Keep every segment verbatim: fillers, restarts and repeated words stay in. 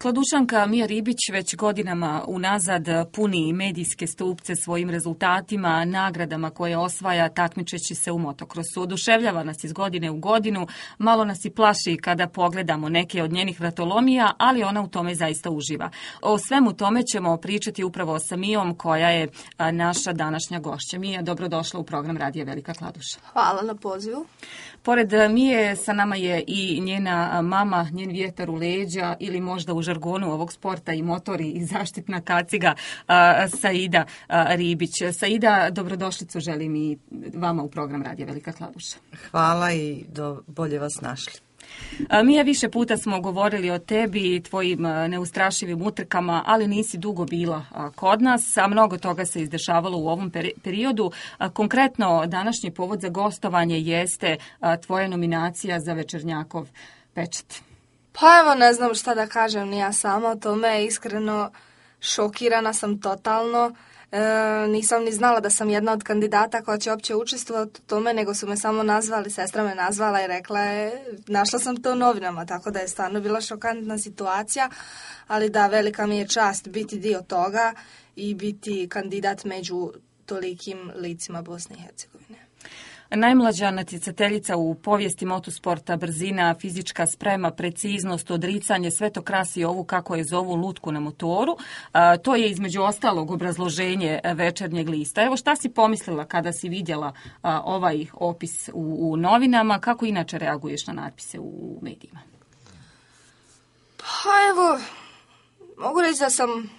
Kladušanka Mija Ribić već godinama unazad puni medijske stupce svojim rezultatima, nagradama koje osvaja takmičeći se u motokrosu. Oduševljava nas iz godine u godinu, malo nas i plaši kada pogledamo neke od njenih vratolomija, ali ona u tome zaista uživa. O svemu tome ćemo pričati upravo sa Mijom, koja je naša današnja gošća. Mija, dobrodošla u program Radija Velika Kladuša. Hvala na pozivu. Pored Mije sa nama je i njena mama, njen vjetar u leđa ili možda u žargonu ovog sporta i motori i zaštitna kaciga, Saida Ribić. Saida, dobrodošlicu želim i vama u program Radija Velika Kladuša. Hvala i do, bolje vas našli. Mija, više puta smo govorili o tebi i tvojim neustrašivim utrkama, ali nisi dugo bila kod nas, a mnogo toga se izdešavalo u ovom periodu. Konkretno, današnji povod za gostovanje jeste tvoja nominacija za Večernjakov pečat. Pa evo, ne znam šta da kažem, ni ja sama o tome, iskreno šokirana sam totalno. E, nisam ni znala da sam jedna od kandidata koja će uopće učestvovati u tome, nego su me samo nazvali, sestra me nazvala i rekla je, našla sam to u novinama, tako da je stvarno bila šokantna situacija, ali da, velika mi je čast biti dio toga i biti kandidat među tolikim licima Bosne i Hercegovine. Najmlađa natjecateljica u povijesti motosporta, brzina, fizička sprema, preciznost, odricanje, sve to krasi ovu, kako je zovu, lutku na motoru. A, to je između ostalog obrazloženje Večernjeg lista. Evo, šta si pomislila kada si vidjela a, ovaj opis u, u novinama? Kako inače reaguješ na natpise u medijima? Pa evo, mogu reći da sam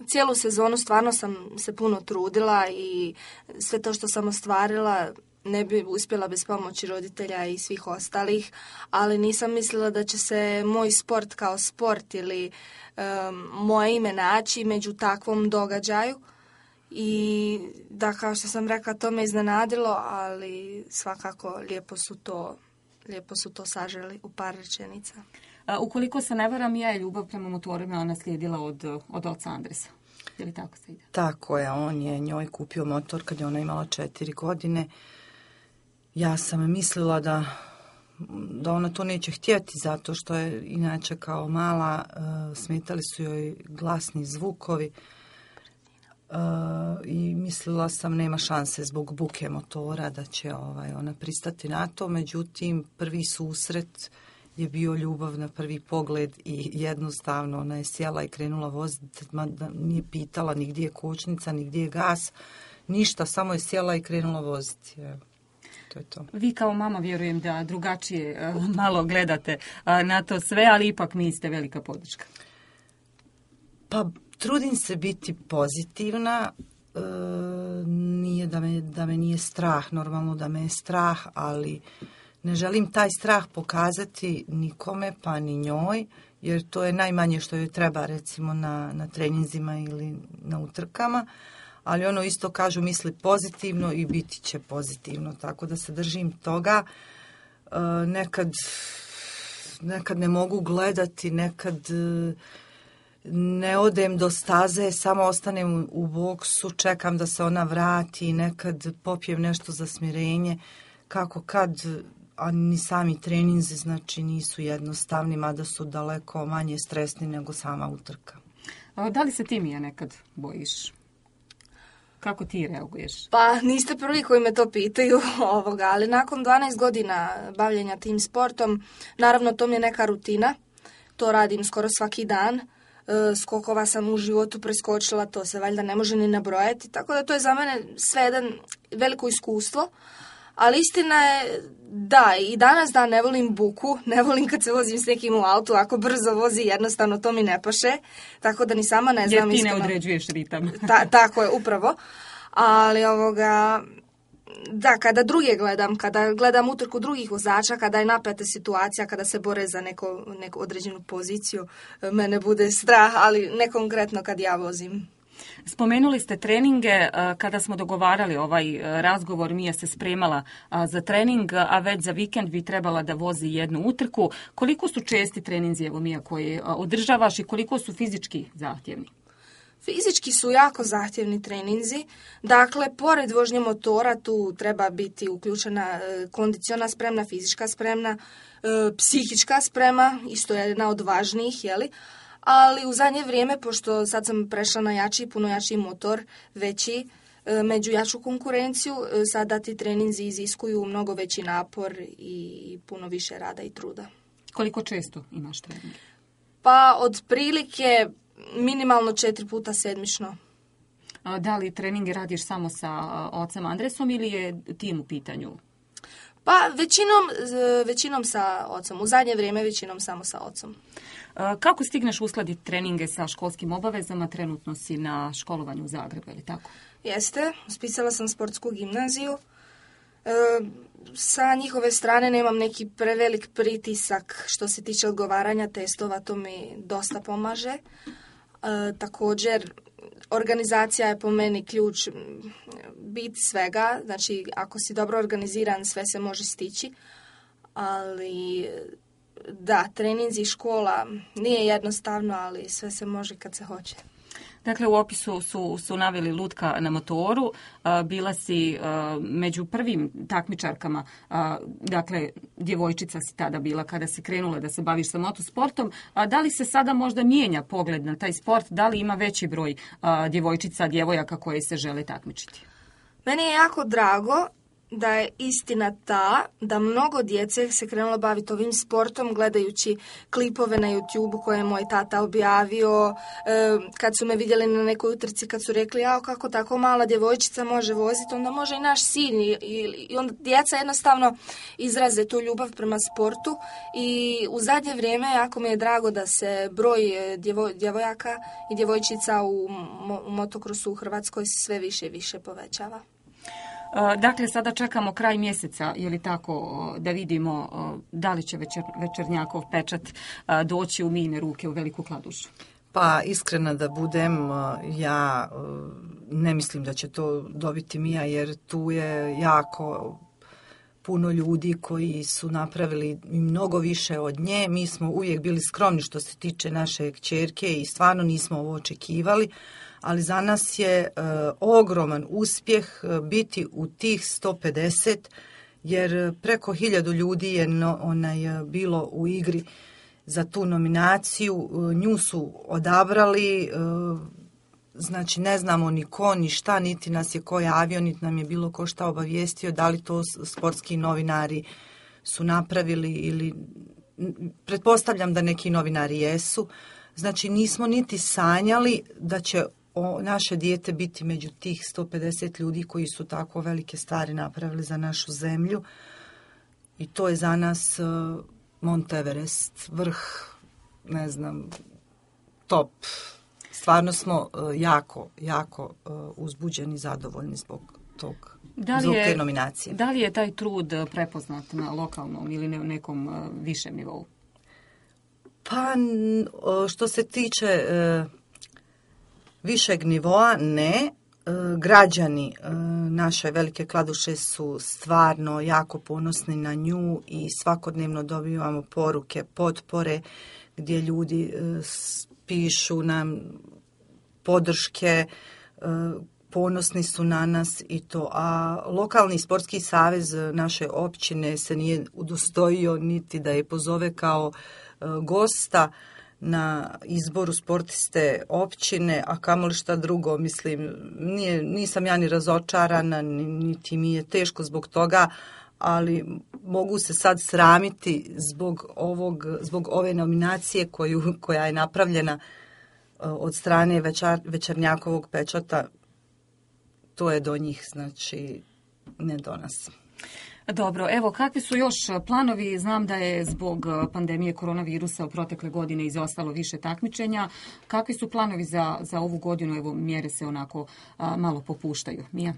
cijelu sezonu stvarno sam se puno trudila i sve to što sam ostvarila ne bi uspjela bez pomoći roditelja i svih ostalih, ali nisam mislila da će se moj sport kao sport ili um, moje ime naći među takvom događaju. I da, kao što sam rekla, to me iznenadilo, ali svakako lijepo su to, lijepo su to saželi u par rečenica. A, ukoliko se ne varam, ja je ljubav prema motorima ona slijedila od, od oca Andresa. Je li tako se ide? Tako je, on je njoj kupio motor kad je ona imala četiri godine. Ja sam mislila da, da ona to neće htjeti, zato što je inače kao mala uh, smetali su joj glasni zvukovi uh, i mislila sam nema šanse zbog buke motora da će ovaj, ona pristati na to. Međutim, prvi susret je bio ljubav na prvi pogled i jednostavno ona je sjela i krenula voziti, nije pitala ni gdje je kočnica, ni gdje je gas, ništa, samo je sjela i krenula voziti. Evo. To je to. Vi kao mama vjerujem da drugačije uh, malo gledate uh, na to sve, ali ipak niste velika podrška. Pa trudim se biti pozitivna, e, nije da me, da me nije strah, normalno da me je strah, ali ne želim taj strah pokazati nikome, pa ni njoj, jer to je najmanje što joj treba, recimo na, na treninzima ili na utrkama. Ali ono isto kažu, misli pozitivno i biti će pozitivno, tako da se držim toga. E, nekad, nekad ne mogu gledati, nekad e, ne odem do staze, samo ostanem u boksu, čekam da se ona vrati, nekad popijem nešto za smirenje, kako kad, a ni sami treninzi znači nisu jednostavni, mada su daleko manje stresni nego sama utrka. A da li se ti, Mija, nekad bojiš? Kako ti reaguješ? Pa niste prvi koji me to pitaju, ovoga, ali nakon dvanaest godina bavljenja tim sportom, naravno to mi je neka rutina, to radim skoro svaki dan, e, skokova sam u životu preskočila, to se valjda ne može ni nabrojati, tako da to je za mene sve jedan veliko iskustvo, ali istina je da, i danas da ne volim buku, ne volim kad se vozim s nekim u autu, ako brzo vozi jednostavno to mi ne paše, tako da ni sama ne znam. Jer ti ne određuješ ritam. Ta, tako je, upravo. Ali ovoga, da, kada druge gledam, kada gledam utrku drugih vozača, kada je napeta situacija, kada se bore za neko, neku određenu poziciju, mene bude strah, ali ne konkretno kad ja vozim. Spomenuli ste treninge. Kada smo dogovarali ovaj razgovor, Mija se spremala za trening, a već za vikend bi trebala da vozi jednu utrku. Koliko su česti treninzi, evo Mija, koje održavaš i koliko su fizički zahtjevni? Fizički su jako zahtjevni treninzi. Dakle, pored vožnje motora tu treba biti uključena kondiciona spremna, fizička spremna, psihička sprema, isto je jedna od važnijih, jeli? ali u zadnje vrijeme, pošto sad sam prešla na jači, puno jači motor, veći, među jaču konkurenciju, sada ti treninzi iziskuju mnogo veći napor i puno više rada i truda. Koliko često imaš treninge? Pa otprilike minimalno četiri puta sedmično. Da li treninge radiš samo sa ocem Andresom ili je tim u pitanju? Pa većinom, većinom sa ocom. U zadnje vrijeme većinom samo sa ocom. Kako stigneš uskladiti treninge sa školskim obavezama? Trenutno si na školovanju u Zagrebu, je li tako? Jeste. Uspisala sam sportsku gimnaziju. E, sa njihove strane nemam neki prevelik pritisak što se tiče odgovaranja testova. To mi dosta pomaže. E, također, organizacija je po meni ključ, bit svega. Znači, ako si dobro organiziran, sve se može stići. Ali da, treninzi i škola nije jednostavno, ali sve se može kad se hoće. Dakle, u opisu su, su naveli lutka na motoru, bila si među prvim takmičarkama, dakle, djevojčica si tada bila kada si krenula da se baviš sa motosportom. Da li se sada možda mijenja pogled na taj sport? Da li ima veći broj djevojčica, djevojaka koje se žele takmičiti? Meni je jako drago da je istina ta da mnogo djece se krenulo baviti ovim sportom gledajući klipove na YouTube koje je moj tata objavio, kad su me vidjeli na nekoj utrci, kad su rekli jao kako tako mala djevojčica može voziti, onda može i naš sin i, i onda djeca jednostavno izraze tu ljubav prema sportu i u zadnje vrijeme jako mi je drago da se broj djevo, djevojaka i djevojčica u, u motokrosu u Hrvatskoj sve više i više povećava. Dakle, sada čekamo kraj mjeseca, je li tako, da vidimo da li će večer, Večernjakov pečat doći u mijine ruke u Veliku Kladušu? Pa iskreno da budem, ja ne mislim da će to dobiti Mija, jer tu je jako puno ljudi koji su napravili mnogo više od nje. Mi smo uvijek bili skromni što se tiče naše kćerke i stvarno nismo ovo očekivali. Ali za nas je e, ogroman uspjeh biti u tih sto pedeset, jer preko hiljadu ljudi je no, onaj, bilo u igri za tu nominaciju. Nju su odabrali, e, znači ne znamo ni ko, ni šta, niti nas je ko javio, niti nam je bilo ko šta obavijestio, da li to sportski novinari su napravili ili pretpostavljam da neki novinari jesu. Znači nismo niti sanjali da će o naše dijete biti među tih sto pedeset ljudi koji su tako velike stvari napravili za našu zemlju. I to je za nas uh, Mont Everest, vrh, ne znam, top. Stvarno smo uh, jako, jako uh, uzbuđeni, zadovoljni zbog tog, da li zbog je, te nominacije. Da li je taj trud prepoznat na lokalnom ili ne, nekom uh, višem nivou? Pa što se tiče uh, višeg nivoa, ne. Građani naše Velike Kladuše su stvarno jako ponosni na nju i svakodnevno dobivamo poruke, potpore gdje ljudi pišu nam podrške, ponosni su na nas i to. A lokalni sportski savez naše općine se nije udostojio niti da je pozove kao gosta na izboru sportiste općine, a kamoli šta drugo, mislim, nije, nisam ja ni razočarana, niti mi je teško zbog toga, ali mogu se sad sramiti zbog ovog, zbog ove nominacije koju, koja je napravljena od strane večer, Večernjakovog pečata. To je do njih, znači ne do nas. Dobro, evo, kakvi su još planovi? Znam da je zbog pandemije koronavirusa u protekle godine izostalo više takmičenja. Kakvi su planovi za, za ovu godinu? Evo, mjere se onako a, malo popuštaju. Mija?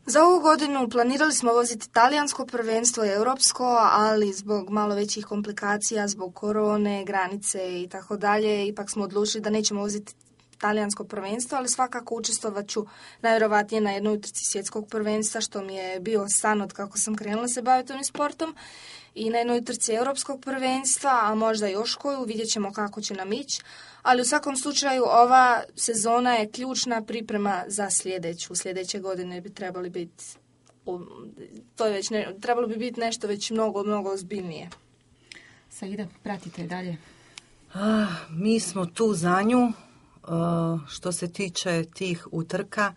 Za ovu godinu planirali smo voziti talijansko prvenstvo i europsko, ali zbog malo većih komplikacija, zbog korone, granice i tako dalje, ipak smo odlučili da nećemo voziti talijansko prvenstvo, ali svakako učestvovat ću najvjerovatnije na jednoj utrci svjetskog prvenstva, što mi je bio san od kako sam krenula se baviti ovim sportom, i na jednoj utrci europskog prvenstva, a možda još koju, vidjet ćemo kako će nam ići. Ali u svakom slučaju ova sezona je ključna priprema za sljedeću. Sljedeće godine bi trebali biti, to je već ne, trebalo bi biti nešto već mnogo, mnogo ozbiljnije. Saida, pratite dalje. A, mi smo tu za nju. A, što se tiče tih utrka,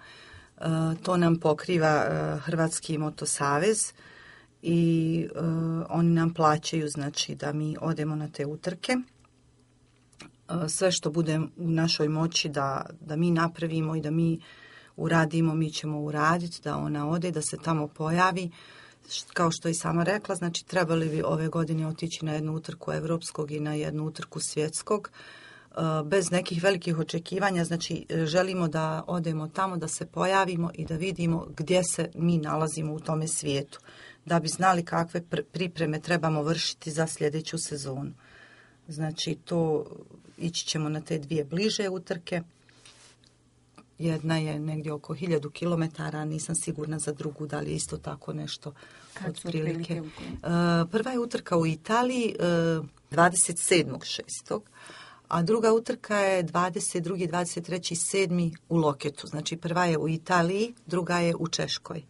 a, to nam pokriva a, Hrvatski motosavez i a, oni nam plaćaju, znači, da mi odemo na te utrke. A, sve što bude u našoj moći da, da mi napravimo i da mi uradimo, mi ćemo uraditi, da ona ode, da se tamo pojavi. Kao što je i sama rekla, znači trebali bi ove godine otići na jednu utrku evropskog i na jednu utrku svjetskog, bez nekih velikih očekivanja, znači želimo da odemo tamo, da se pojavimo i da vidimo gdje se mi nalazimo u tome svijetu, da bi znali kakve pripreme trebamo vršiti za sljedeću sezonu. Znači to, ići ćemo na te dvije bliže utrke. Jedna je negdje oko hiljadu kilometara, nisam sigurna za drugu, da li je isto tako nešto otprilike. Prva je utrka u Italiji dvadeset sedmog šestog a druga utrka je dvadeset drugi dvadeset treći sedmi u Loketu. Znači prva je u Italiji, druga je u Češkoj.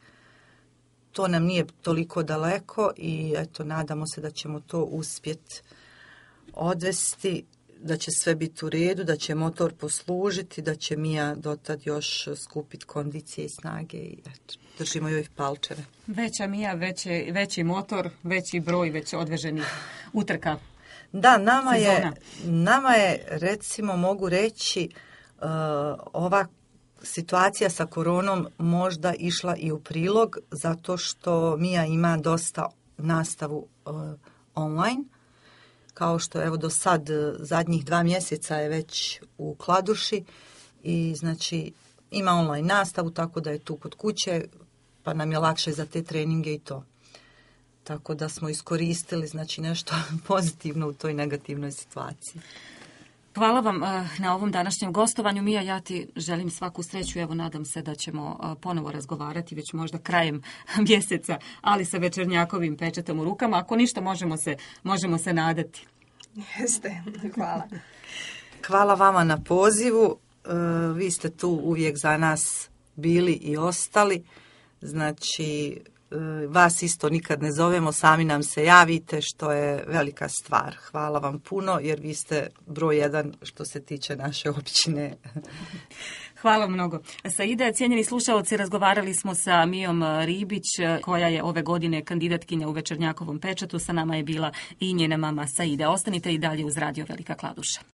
To nam nije toliko daleko i eto, nadamo se da ćemo to uspjeti odvesti, da će sve biti u redu, da će motor poslužiti, da će Mija dotad još skupiti kondicije i snage i eto, držimo joj palčeve. Veća Mija, veći, veći motor, veći broj već odveženih utrka. Da, nama je, nama je, recimo, mogu reći, uh, ova situacija sa koronom možda išla i u prilog, zato što Mija ima dosta nastavu uh, online. Kao što evo do sad, zadnjih dva mjeseca je već u Kladuši i znači ima online nastavu, tako da je tu kod kuće, pa nam je lakše za te treninge i to. Tako da smo iskoristili, znači, nešto pozitivno u toj negativnoj situaciji. Hvala vam na ovom današnjem gostovanju. Mija, ja ti želim svaku sreću. Evo, nadam se da ćemo ponovo razgovarati, već možda krajem mjeseca, ali sa Večernjakovim pečatom u rukama. Ako ništa, možemo se, možemo se nadati. Jeste, hvala. Hvala vama na pozivu. Vi ste tu uvijek za nas bili i ostali. Znači, vas isto nikad ne zovemo, sami nam se javite, što je velika stvar. Hvala vam puno, jer vi ste broj jedan što se tiče naše općine. Hvala mnogo. Saide, cijenjeni slušalci, razgovarali smo sa Mijom Ribić, koja je ove godine kandidatkinja u Večernjakovom pečatu. Sa nama je bila i njena mama Saide. Ostanite i dalje uz Radio Velika Kladuša.